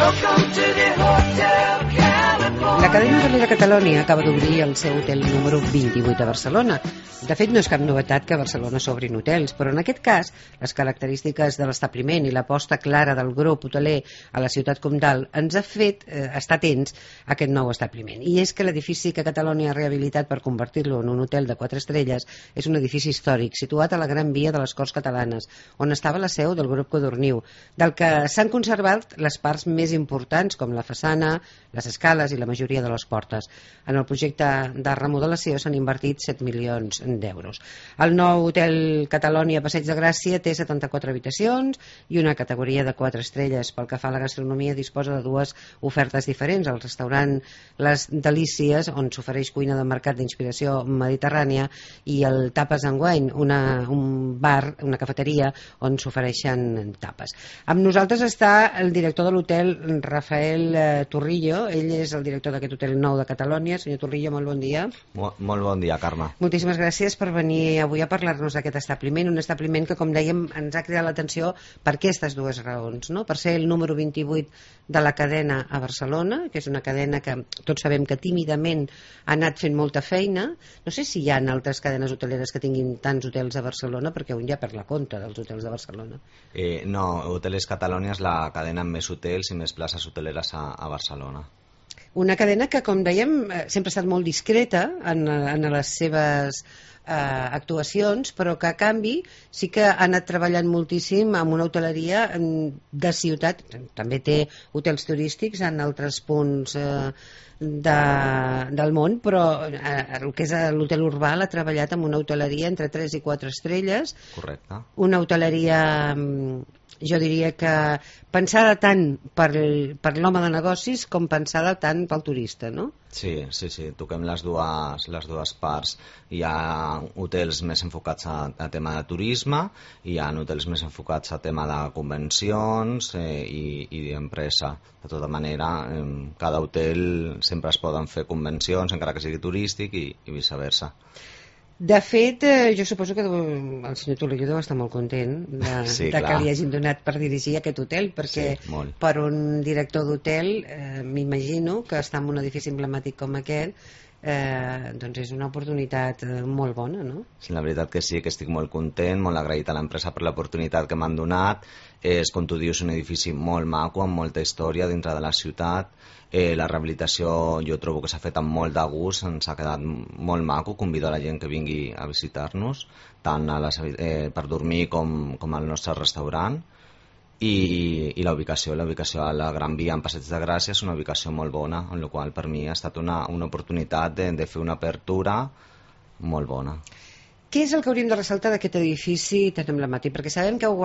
La cadena hotelera Catalonia acaba d'obrir el seu hotel número 28 a Barcelona. De fet, no és cap novetat que a Barcelona s'obrin hotels, però en aquest cas, les característiques de l'establiment i l'aposta clara del grup hoteler a la ciutat comtal ens ha fet estar atents a aquest nou establiment. I és que l'edifici que Catalonia ha rehabilitat per convertir-lo en un hotel de 4 estrelles és un edifici històric situat a la Gran Via de les Corts Catalanes, on estava la seu del grup Codorniu, del que s'han conservat les parts més importants, com la façana, les escales i la majoria de les portes. En el projecte de remodelació s'han invertit 7 milions d'euros. El nou hotel Catalonia Passeig de Gràcia té 74 habitacions i una categoria de 4 estrelles. Pel que fa a la gastronomia, disposa de dues ofertes diferents: el restaurant Les Delícies, on s'ofereix cuina de mercat d'inspiració mediterrània, i el Tapes and Wine, un bar, una cafeteria on s'ofereixen tapes. Amb nosaltres està el director de l'hotel, Rafael Torrillo. Ell és el director d'aquest hotel nou de Catalonia. Senyor Torrillo, molt bon dia. Molt bon dia, Carme. Moltíssimes gràcies per venir avui a parlar-nos d'aquest establiment, un establiment que, com dèiem, ens ha cridat l'atenció per aquestes dues raons, no? Per ser el número 28 de la cadena a Barcelona, que és una cadena que tots sabem que tímidament ha anat fent molta feina. No sé si hi ha altres cadenes hoteleres que tinguin tants hotels a Barcelona, perquè un ja perd la compta dels hotels de Barcelona. No, Hoteles Catalonia és la cadena amb més hotels i més places hoteleres a Barcelona. Una cadena que, com dèiem, sempre ha estat molt discreta en les seves actuacions, però que a canvi sí que ha anat treballant moltíssim amb una hoteleria de ciutat. També té hotels turístics en altres punts del món, però el que és l'hotel Urbà l'ha treballat amb una hoteleria entre 3 i 4 estrelles. Correcte. Una hoteleria, jo diria que pensada tant per l'home de negocis com pensada tant pel turista, no? Sí, toquem les dues parts. Hi ha hotels més enfocats a tema de turisme, hi ha hotels més enfocats a tema de convencions i d'empresa. De tota manera, en cada hotel sempre es poden fer convencions, encara que sigui turístic, i viceversa. De fet, jo suposo que el senyor Torrillo deu estar molt content que li hagin donat per dirigir aquest hotel, perquè per un director d'hotel m'imagino que estar en un edifici emblemàtic com aquest doncs és una oportunitat molt bona, no? Sí, la veritat que sí, que estic molt content, molt agraït a l'empresa per l'oportunitat que m'han donat. És, com tu dius, un edifici molt maco, amb molta història dintre de la ciutat. La rehabilitació jo trobo que s'ha fet amb molt de gust, ens ha quedat molt maco. Convido a la gent que vingui a visitar-nos, tant per dormir com al nostre restaurant. I la ubicació a la Gran Via en Passeig de Gràcia és una ubicació molt bona, en la qual per mi ha estat una oportunitat de fer una apertura molt bona. Què és el que hauríem de ressaltar d'aquest edifici tan emblemàtic? Perquè sabem que heu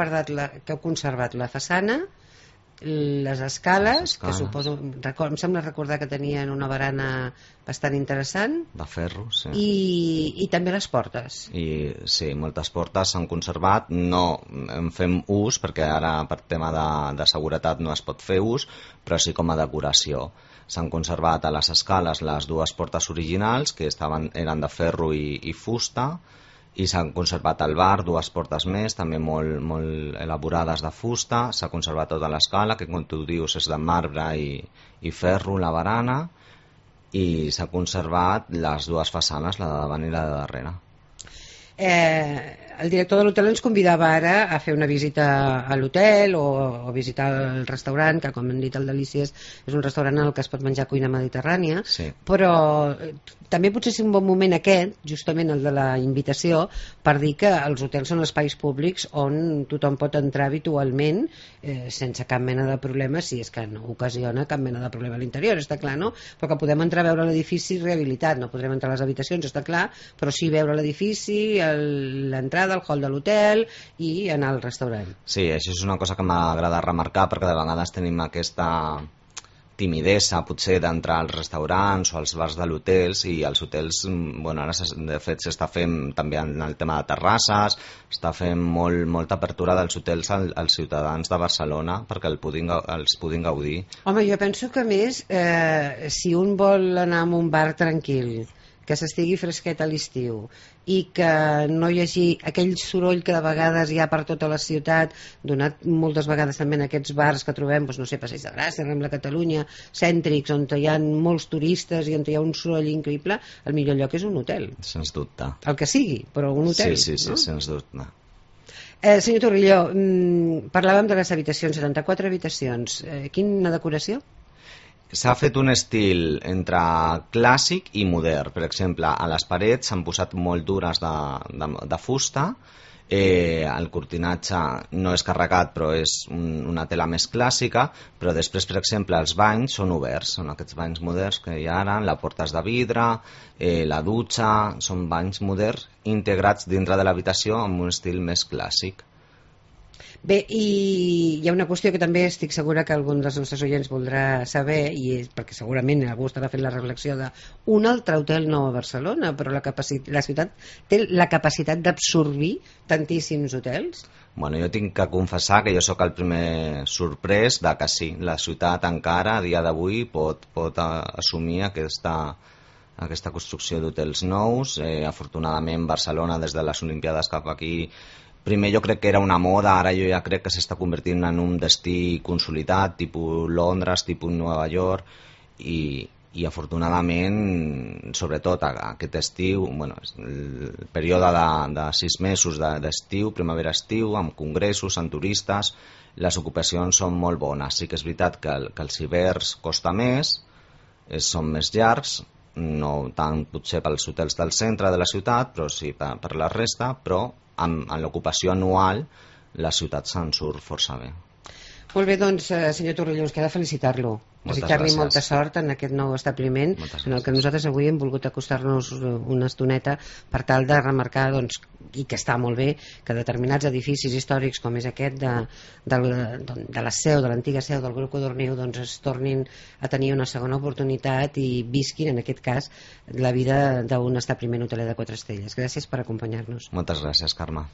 conservat la façana, les escales, que suposo, em sembla recordar que tenien una barana bastant interessant, de ferro, sí, i també les portes. Sí, moltes portes s'han conservat, no en fem ús perquè ara per tema de seguretat no es pot fer ús, però sí com a decoració. S'han conservat a les escales les dues portes originals, que eren de ferro i fusta, i s'han conservat al bar dues portes més, també molt elaborades de fusta. S'ha conservat tota l'escala, que com tu dius és de marbre i ferro, la barana, i s'ha conservat les dues façanes, la de davant i la de darrere. El director de l'hotel ens convidava ara a fer una visita a l'hotel o visitar el restaurant, que com hem dit el Delícies és un restaurant en el que es pot menjar cuina mediterrània, però també potser és un bon moment aquest, justament el de la invitació, per dir que els hotels són espais públics on tothom pot entrar habitualment sense cap mena de problema, si és que no ocasiona cap mena de problema a l'interior, està clar, no? Però que podem entrar a veure l'edifici rehabilitat, no podrem entrar a les habitacions, està clar, però sí veure l'edifici, l'entrada, el hall de l'hotel i anar al restaurant. Sí, això és una cosa que m'agrada remarcar, perquè de vegades tenim aquesta timidesa potser d'entrar als restaurants o als bars de l'hotels, i els hotels, bueno, ara de fet s'està fent també en el tema de terrasses, està fent molta apertura dels hotels als ciutadans de Barcelona perquè els puguin gaudir. Home, jo penso que més si un vol anar a un bar tranquil, que s'estigui fresquet a l'estiu i que no hi hagi aquell soroll que de vegades hi ha per tota la ciutat, donat moltes vegades també en aquests bars que trobem, doncs, no sé, Passeig de Gràcia, Rambla Catalunya, cèntrics, on hi ha molts turistes i on hi ha un soroll increïble, el millor lloc és un hotel. Sens dubte. El que sigui, però un hotel. Sí, no? sens dubte. Senyor Torrilló, parlàvem de les habitacions, 74 habitacions. Quina decoració? S'ha fet un estil entre clàssic i modern. Per exemple, a les parets s'han posat moldures de fusta, el cortinatge no és carregat però és una tela més clàssica, però després, per exemple, els banys són oberts, són aquests banys moderns que hi ha ara, la porta és de vidre, la dutxa, són banys moderns integrats dintre de l'habitació amb un estil més clàssic. Bé, i hi ha una qüestió que també estic segura que algun dels nostres oients voldrà saber, i és perquè segurament algú estarà fent la reflexió d'un altre hotel nou a Barcelona, però la ciutat té la capacitat d'absorbir tantíssims hotels? Bueno, jo tinc que confessar que jo sóc el primer sorprès de que sí, la ciutat encara a dia d'avui pot assumir aquesta construcció d'hotels nous. Afortunadament Barcelona, des de les Olimpiades cap aquí, primer jo crec que era una moda, ara jo ja crec que s'està convertint en un destí consolidat, tipus Londres, tipus Nova York, i afortunadament, sobretot aquest estiu, bueno, el període de 6 mesos d'estiu, primavera-estiu, amb congressos, amb turistes, les ocupacions són molt bones. Sí que és veritat que els hiverns costa més, són més llargs, no tant potser pels hotels del centre de la ciutat, però sí per la resta, però en l'ocupació anual la ciutat se'n surt força bé. Molt bé, doncs, senyor Torrilló, ens queda felicitar-lo. Desitjar-li molta sort en aquest nou establiment en el que nosaltres avui hem volgut acostar-nos una estoneta per tal de remarcar, doncs, i que està molt bé, que determinats edificis històrics com és aquest de la seu, de l'antiga seu del grup Codorniu, doncs es tornin a tenir una segona oportunitat i visquin, en aquest cas, la vida d'un establiment hoteler de 4 estrelles. Gràcies per acompanyar-nos. Moltes gràcies, Carme.